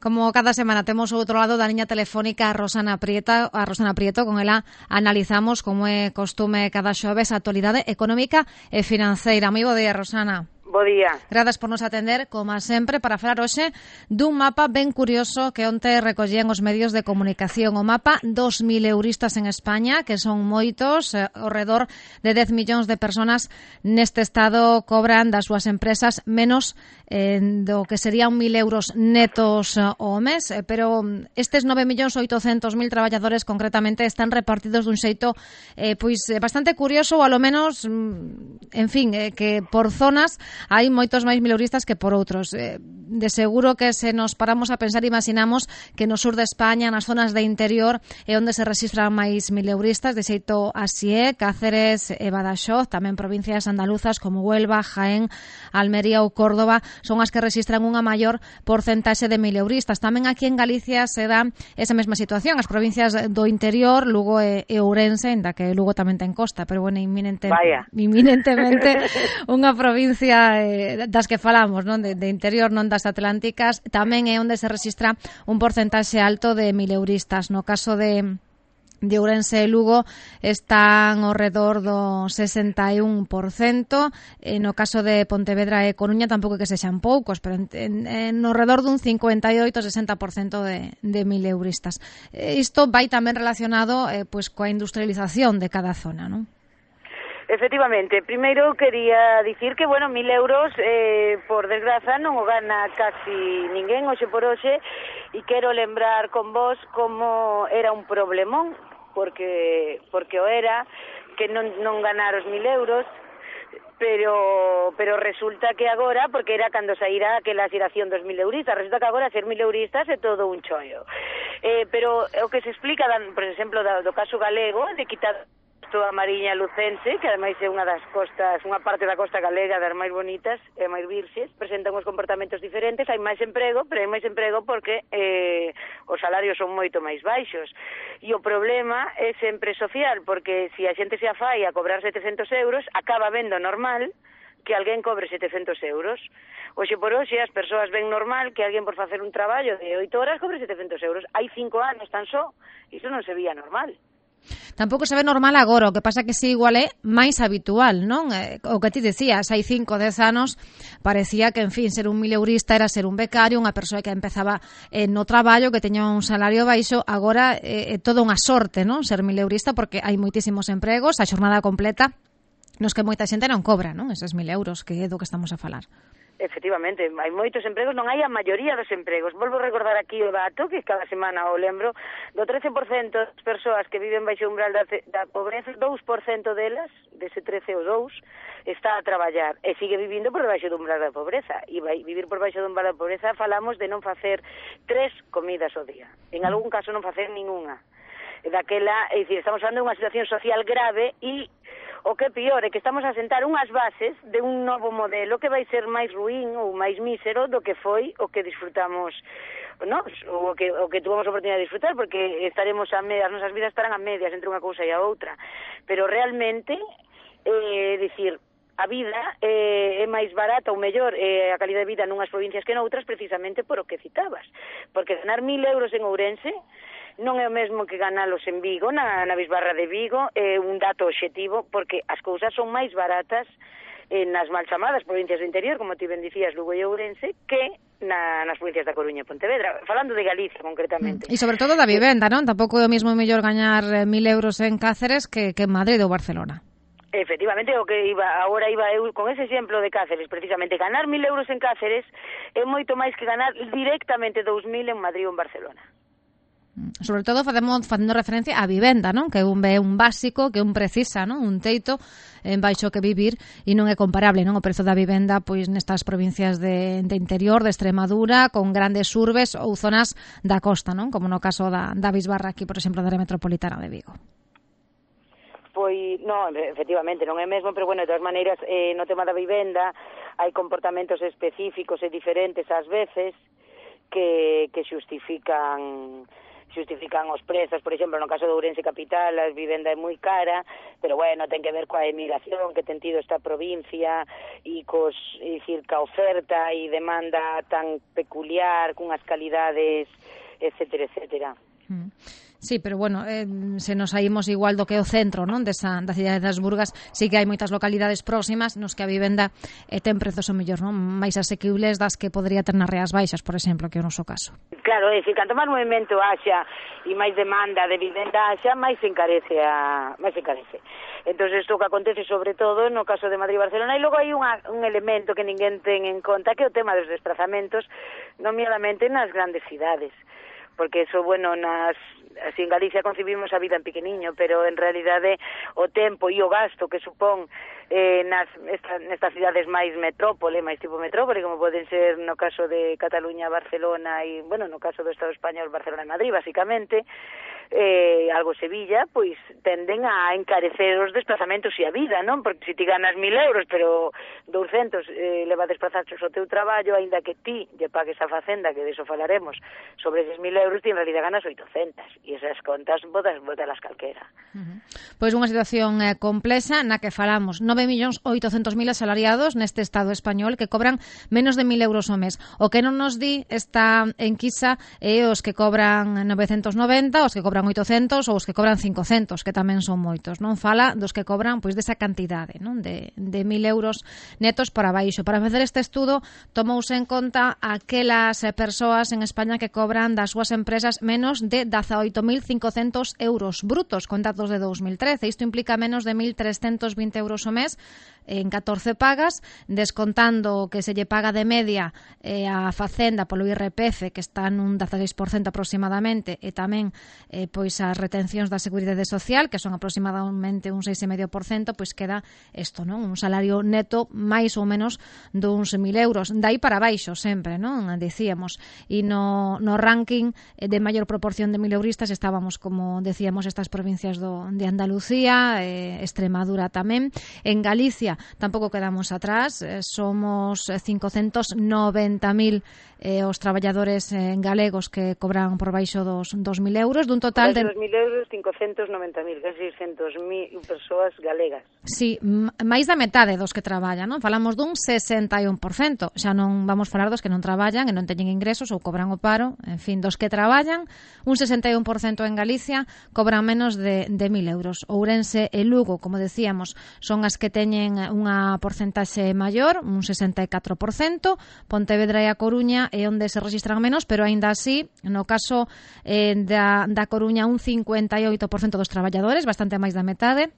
Como cada semana temos ao outro lado da liña telefónica a Rosana Prieto, con ela analizamos, como é costume cada xoves, a actualidade económica e financeira. Moi bo día, Rosana. Bo día. Gracias por nos atender, como sempre, para falar hoxe dun mapa ben curioso que onte recollían os medios de comunicación. O mapa dos mileuristas en España, que son moitos, ao redor de 10 millóns de personas neste estado cobran das súas empresas menos do que serían 1.000 euros netos ao mes, pero estes 9.800.000 traballadores concretamente están repartidos dun xeito bastante curioso, ou alo menos, en fin, que por zonas hai moitos máis mileuristas que por outros. De seguro que se nos paramos a pensar, imaginamos que no sur de España, nas zonas de interior, é onde se registran máis mileuristas, de xeito así é, Cáceres e Badaxoz, tamén provincias andaluzas como Huelva, Jaén, Almería ou Córdoba, son as que registran unha maior porcentaxe de mileuristas. Tamén aquí en Galicia se dá esa mesma situación, as provincias do interior, Lugo e Ourense, ainda que Lugo tamén ten costa, pero bueno, inminentemente unha provincia das que falamos, non, de interior, non das atlánticas, tamén é onde se registra un porcentaxe alto de mileuristas. No caso de Ourense e Lugo están ao redor do 61%, no caso de Pontevedra e Coruña tampouco que sexan poucos, pero no redor dun 58-60% de mileuristas. Isto vai tamén relacionado coa industrialización de cada zona, non? Efectivamente, primeiro quería dicir que, 1.000 euros, por desgraza, non o gana casi ninguén hoxe por hoxe, e quero lembrar con vos como era un problemón, porque o era que non ganar os 1.000 euros, pero resulta que agora, porque era cando saíra aquela xeración dos 1.000 euristas, resulta que agora ser 1.000 euristas é todo un chollo. Pero o que se explica, por exemplo, do caso galego, de quitar a Mariña Lucense, que ademais é unha das costas, unha parte da costa galega das máis bonitas e máis virxes, presentan uns comportamentos diferentes, hai máis emprego, pero hai máis emprego porque os salarios son moito máis baixos. E o problema é sempre social, porque se a xente se afai a cobrar 700 euros, acaba vendo normal que alguén cobre 700 euros. Hoxe por hoxe as persoas ven normal que alguén por facer un traballo de 8 horas cobre 700 euros. Hai 5 anos tan só, iso non se veía normal. Tampouco se ve normal agora, o que pasa que si igual é máis habitual, non? O que ti decías, hai 5 10 anos parecía que, en fin, ser un mileurista era ser un becario, unha persoa que empezaba no traballo, que teña un salario baixo. Agora é toda unha sorte, non? Ser mileurista, porque hai moitísimos empregos, a xornada completa, nos que moita xente non cobra, non? Eses 1.000 euros, que é do que estamos a falar. Efectivamente, hai moitos empregos, non hai a maioría dos empregos. Volvo a recordar aquí o dato, que cada semana o lembro, do 13% das persoas que viven baixo o umbral da pobreza, 2% delas, dese 13 ou 2, está a traballar e sigue vivindo por debaixo do umbral da pobreza. E vai vivir por baixo do umbral da pobreza, falamos de non facer 3 comidas ao día. En algún caso non facer ninguna. Daquela, é dicir, estamos falando de unha situación social grave e o que é pior é que estamos a sentar unhas bases de un novo modelo que vai ser máis ruín ou máis mísero do que foi o que disfrutamos nós, ou o que tuvamos a oportunidade de disfrutar, porque estaremos a medias, as nosas vidas estarán a medias entre unha cousa e a outra. Pero realmente, dicir, a vida é máis barata ou mellor, a calidad de vida nunhas provincias que noutras, precisamente por o que citabas. Porque ganar 1.000 euros en Ourense non é o mesmo que ganalos en Vigo, na Bisbarra de Vigo, é un dato obxectivo, porque as cousas son máis baratas nas mal chamadas provincias do interior, como ti ben dicías, Lugo e Ourense, que nas provincias da Coruña e Pontevedra, falando de Galicia concretamente. E sobre todo da vivenda, non? Tampouco é o mesmo mellor gañar 1.000 euros en Cáceres que en Madrid ou Barcelona. Efectivamente, agora iba eu con ese exemplo de Cáceres, precisamente, ganar 1.000 euros en Cáceres é moito máis que ganar directamente 2.000 en Madrid ou en Barcelona. Sobre todo facendo referencia á vivenda, non? Que un básico, que un precisa, non? Un teito en baixo que vivir, e non é comparable, non? O prezo da vivenda pois nestas provincias de interior, de Extremadura, con grandes urbes ou zonas da costa, non? Como no caso da Bisbarra aquí, por exemplo, da área metropolitana de Vigo. Pois, non, efectivamente, non é mesmo, pero, de todas maneiras, no tema da vivenda hai comportamentos específicos e diferentes ás veces que xustifican xustifican os prezos, por exemplo, no caso de Ourense capital, a vivenda é moi cara, pero bueno, ten que ver coa emigración que ten tido esta provincia e dicir, ca oferta e demanda tan peculiar, cunhas calidades, etcétera, etcétera. Sí, pero bueno, se nos saímos igual do que o centro, non, da cidade das Burgas, sí que hai moitas localidades próximas nos que a vivenda ten prezos o mellor, non, máis asequibles das que podría ter nas Rías Baixas, por exemplo, que é o noso caso. Claro, é dicir, canto máis movimento haxa e máis demanda de vivenda haxa, máis se encarece. Entón, isto que acontece sobre todo no caso de Madrid e Barcelona, e logo hai un elemento que ninguén ten en conta, que é o tema dos desplazamentos, nomeadamente nas grandes cidades, porque eso, bueno, así en Galicia concibimos a vida en pequeniño, pero en realidade o tempo e o gasto que supón nestas cidades máis metrópole, máis tipo metrópole, como poden ser no caso de Cataluña, Barcelona e, bueno, no caso do Estado español, Barcelona e Madrid, basicamente, algo Sevilla, pois tenden a encarecer os desplazamentos e a vida, non? Porque se ti ganas 1.000 euros, pero 200 leva a desplazarse ao teu traballo, aínda que ti lle pagues a facenda, que deso falaremos, sobre eses 1.000 euros, ti en realidad ganas 800, e esas contas botalas calquera. Pois unha situación complexa na que falamos 9.800.000 asalariados neste Estado español que cobran menos de 1.000 euros ao mes. O que non nos di esta enquisa é os que cobran 990, os que cobran 800 ou os que cobran 500, que tamén son moitos. Non fala dos que cobran pois desa cantidade, non, de 1.000 euros netos para baixo. Para facer este estudo tomouse en conta aquelas persoas en España que cobran das súas empresas menos de 18.500 euros brutos, con datos de 2013. Isto implica menos de 1.320 euros ao mes en 14 pagas, descontando que se lle paga de media a Facenda polo IRPF, que está nun 16% aproximadamente, e tamén pois as retencións da Seguridade Social, que son aproximadamente un 6,5%, pois queda isto, non? Un salario neto máis ou menos duns 1.000 euros. Dai para baixo sempre, non? Dicíamos. E no ranking de maior proporción de 1.000 euristas estábamos, como decíamos, estas provincias de Andalucía, Extremadura tamén. En Galicia tampouco quedamos atrás, somos 590.000 os traballadores galegos que cobran por baixo dos 2.000 euros, dun total de 2.000 euros, 590.000, casi 600.000 persoas galegas. Sí, máis da metade dos que traballan, non? Falamos dun 61%, xa non vamos falar dos que non traballan e non teñen ingresos ou cobran o paro, en fin, dos que traballan, un 61% en Galicia cobran menos de 1.000 euros. Ourense e Lugo, como decíamos, son as que teñen unha porcentaxe maior, un 64%, Pontevedra e a Coruña é onde se registran menos, pero aínda así, no caso da Coruña, un 58% dos traballadores, bastante máis da metade.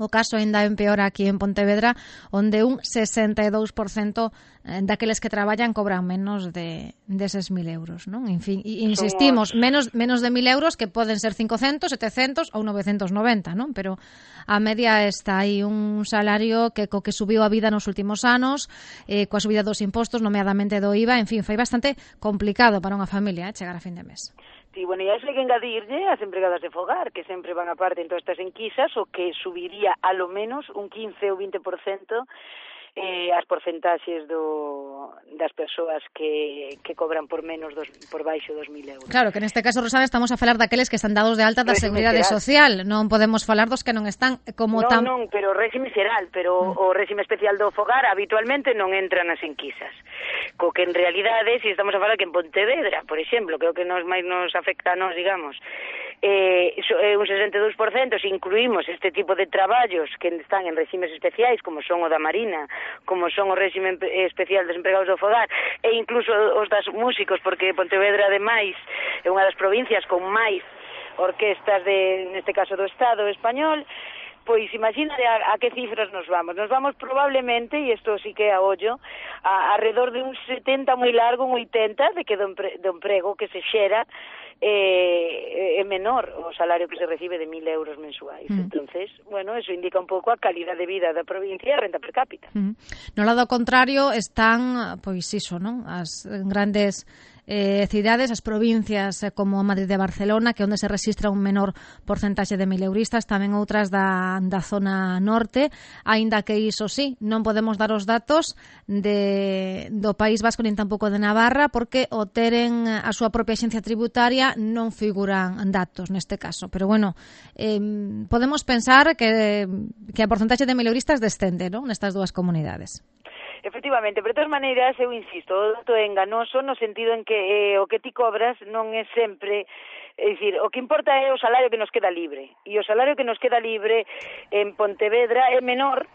O caso ainda empeora aquí en Pontevedra, onde un 62% daqueles que traballan cobran menos de eses 1.000 euros, non? En fin, insistimos, menos de 1.000 euros, que poden ser 500, 700 ou 990, non? Pero a media está aí un salario que co que subiu a vida nos últimos anos, coa subida dos impostos, nomeadamente do IVA, en fin, foi bastante complicado para unha familia chegar a fin de mes. Sí, bueno, e a iso hai que engadirlle as empregadas de fogar, que sempre van aparte en todas estas enquisas, o que subiría a lo menos un 15 ou 20% as porcentaxes das persoas que cobran por menos por baixo 2.000 euros. Claro, que neste caso, Rosana, estamos a falar daqueles que están dados de alta da Seguridade Social. Non podemos falar dos que non están como Non, pero o réxime xeral, pero o réxime especial do fogar habitualmente non entra nas enquisas. Co que en realidade, se estamos a falar que en Pontevedra, por exemplo, que é o que máis nos afecta a nós, digamos, un 62%, se incluímos este tipo de traballos que están en réximes especiais, como son o da Marina, como son o réxime especial dos empregados do fogar, e incluso os das músicos, porque Pontevedra, ademais, é unha das provincias con máis orquestas neste caso do Estado español. Pois imagínate a que cifras nos vamos. Nos vamos probablemente, e isto sí que é a ollo, alrededor de un 70 moi largo, un 80, de que do emprego que se xera é menor o salario que se recibe de 1.000 euros mensuais. Entonces, bueno, eso indica un pouco a calidad de vida da provincia e a renta per cápita. No lado contrario están, pois iso, non? As grandes cidades, as provincias como Madrid e Barcelona, que onde se registra un menor porcentaxe de mileuristas, tamén outras da zona norte, aínda que iso sí, non podemos dar os datos do País Vasco nin tampouco de Navarra, porque o teren a súa propia axencia tributaria non figuran datos neste caso. Pero bueno, podemos pensar que a porcentaxe de mileuristas descende, non, nestas dúas comunidades. Efectivamente, pero de todas maneiras, eu insisto, o dato é enganoso no sentido en que o que ti cobras non é sempre... É dicir, o que importa é o salario que nos queda libre. E o salario que nos queda libre en Pontevedra é menor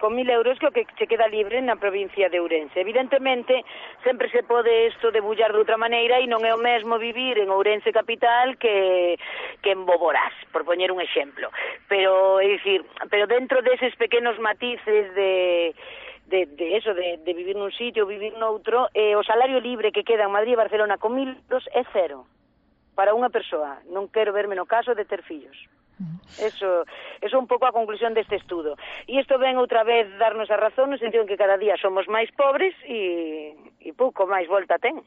con 1.000 euros que o que se queda libre na provincia de Ourense. Evidentemente, sempre se pode isto debullar de outra maneira e non é o mesmo vivir en Ourense capital que en Boborás, por poñer un exemplo. Pero, é dicir, pero dentro deses pequenos matices de vivir nun sitio, vivir noutro, o salario libre que queda en Madrid e Barcelona con 1.000 euros é cero para unha persoa. Non quero verme no caso de ter fillos. Eso é un pouco a conclusión deste estudo. E isto ven outra vez darnos a razón no sentido en que cada día somos máis pobres e pouco máis volta ten.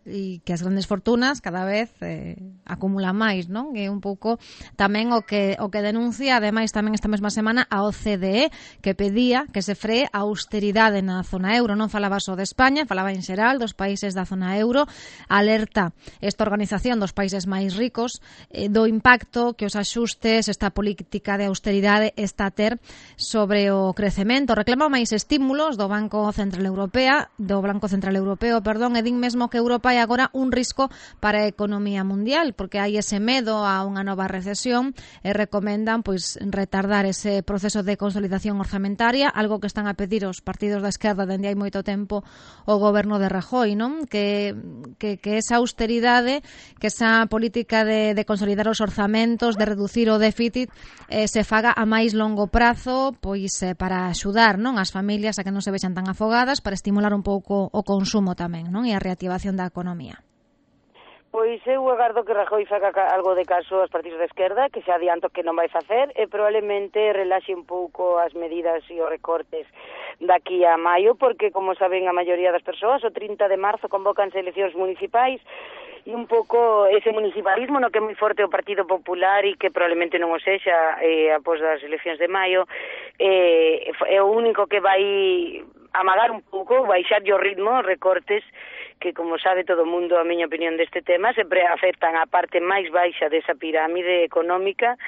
E que as grandes fortunas cada vez acumulan máis, non? É un pouco tamén o que denuncia, ademais tamén esta mesma semana, a OCDE, que pedía que se free a austeridade na zona euro. Non falaba só de España, falaba en xeral dos países da zona euro. Alerta esta organización dos países máis ricos do impacto que os axustes, esta política de austeridade está a ter sobre o crecemento. Reclama máis estímulos do Banco Central Europeo, e din mesmo que Europa é agora un risco para a economía mundial, porque hai ese medo a unha nova recesión e recomendan pois retardar ese proceso de consolidación orzamentaria, algo que están a pedir os partidos da esquerda dende hai moito tempo o goberno de Rajoy, non? Que esa austeridade, que esa política de consolidar os orzamentos, de reducir o déficit, se faga a máis longo prazo, pois para axudar, non, as familias a que non se vexan tan afogadas, para estimular un pouco o consumo tamén, non, e a reactivación da economía. Pois eu agardo que Rajoy faga algo de caso aos partidos da esquerda, que xa adianto que non vai facer, e probablemente relaxe un pouco as medidas e os recortes daqui a maio, porque, como saben a maioría das persoas, o 30 de marzo convocanse eleccións municipais, e un pouco ese municipalismo no que é moi forte o Partido Popular e que probablemente non o sexa após das eleccións de maio, é o único que vai amagar un pouco, baixar o ritmo, os recortes, que, como sabe todo o mundo, a miña opinión deste tema, sempre afectan a parte máis baixa desa pirámide económica,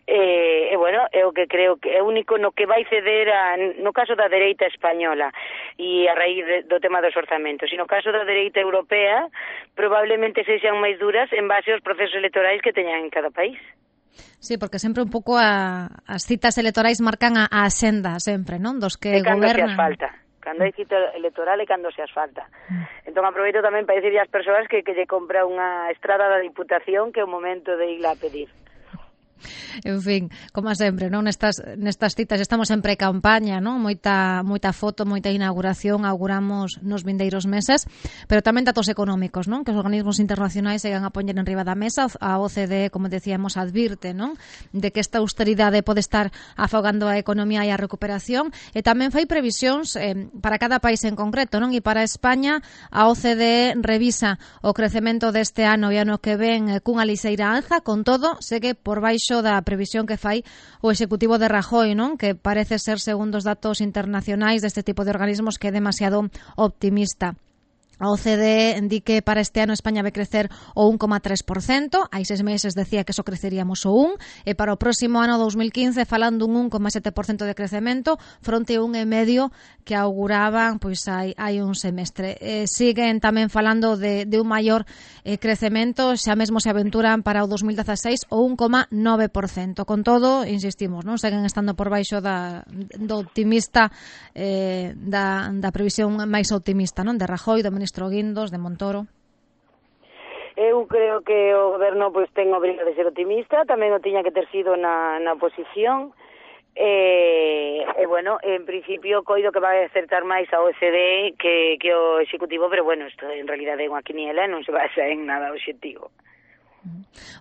e bueno, é o que creo que é o único no que vai ceder no caso da dereita española e a raíz do tema dos orzamentos, e no caso da dereita europea probablemente sexan máis duras en base aos procesos electorais que teñan en cada país. Sí, porque sempre un pouco as citas electorais marcan a axenda sempre, non? Dos que gobernan. Cando hai cita electoral e cando se asfalta. Entón aproveito tamén para dicirlle ás persoas que lle compra unha estrada da Diputación, que é o momento de ir a pedir. En fin, como sempre, non, nestas citas estamos en pre-campaña, non? Moita foto, moita inauguración auguramos nos vindeiros meses, pero tamén datos económicos, non? Que os organismos internacionais seguen a poñer en riba da mesa. A OCDE, como decíamos, advirte, non? De que esta austeridade pode estar afogando a economía e a recuperación, e tamén fai previsións para cada país en concreto, non? E para España, a OCDE revisa o crecemento deste ano e ano que ven cunha lixeira alza, con todo, segue por baixo da previsión que fai o executivo de Rajoy, non? Que parece ser, segundo os datos internacionais deste tipo de organismos, que é demasiado optimista. A OCDE di que para este ano España vai crecer o 1,3%, hai 6 meses decía que só creceríamos o 1%, e para o próximo ano 2015 falando un 1,7% de crecemento fronte a 1,5% que auguraban pois hai un semestre. Siguen tamén falando de un maior crecemento, xa mesmo se aventuran para o 2016 o 1,9%. Con todo, insistimos, non, seguen estando por baixo do optimista, da previsión máis optimista, non, de Rajoy, do ministro Guindos, de Montoro. Eu creo que o goberno pois ten obriga de ser optimista, tamén o tiña que ter sido na oposición, e bueno, en principio coido que vai acertar máis a OCDE que o Executivo, pero bueno, isto en realidade é unha quiniela e non se basa en nada obxectivo.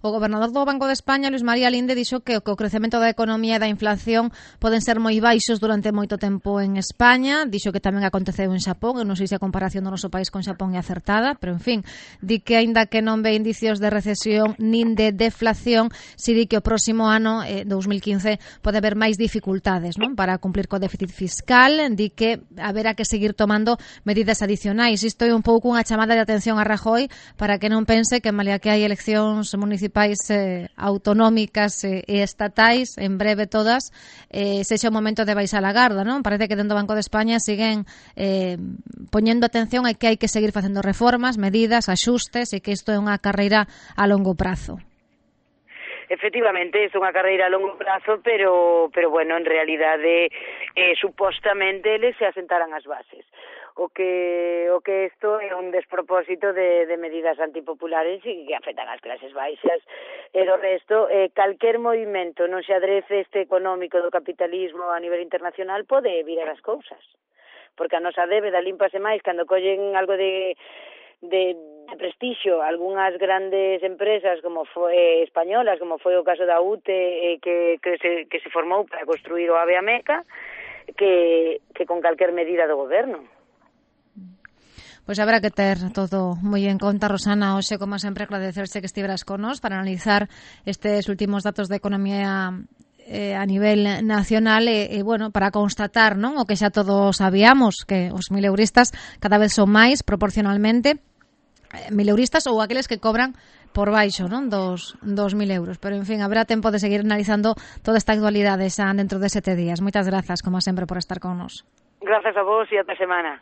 O gobernador do Banco de España, Luis María Linde, dixo que o crecemento da economía e da inflación poden ser moi baixos durante moito tempo en España. Dixo que tamén aconteceu en Xapón. Eu non sei se a comparación do noso país con Xapón é acertada, pero en fin, di que aínda que non ve indicios de recesión nin de deflación, si di que o próximo ano, 2015, pode haber máis dificultades, non, para cumplir co déficit fiscal. Di que haberá que seguir tomando medidas adicionais. Isto é un pouco unha chamada de atención a Rajoy para que non pense que malia que hai eleccións municipais autonómicas e estatais, en breve todas, sexa o momento de baixar a garda, non? Parece que dentro do Banco de España siguen poñendo atención a que hai que seguir facendo reformas, medidas, axustes, e que isto é unha carreira a longo prazo. Efectivamente, é unha carreira a longo prazo, pero bueno, en realidade supostamente eles se asentaran as bases. O que isto é un despropósito de medidas antipopulares e que afectan as clases baixas e do resto, calquer movimento non se adrece económico do capitalismo a nivel internacional pode virar as cousas, porque a nosa débeda límpase máis cando collen algo de prestixio algunhas grandes empresas como foi españolas, como foi o caso da UTE, que se formou para construir o AVE a Meca, que con calquer medida do goberno. Pois habrá que ter todo moi en conta, Rosana. Hoxe, como sempre, agradecerse que estiveras con nos para analizar estes últimos datos de economía a nivel nacional e bueno, para constatar, non, o que xa todos sabíamos, que os mileuristas cada vez son máis proporcionalmente, mileuristas ou aqueles que cobran por baixo, non, dos 2.000 euros. Pero, en fin, habrá tempo de seguir analizando toda esta actualidade xa dentro de 7 días. Moitas grazas, como sempre, por estar con nos. Grazas a vos e ata semana.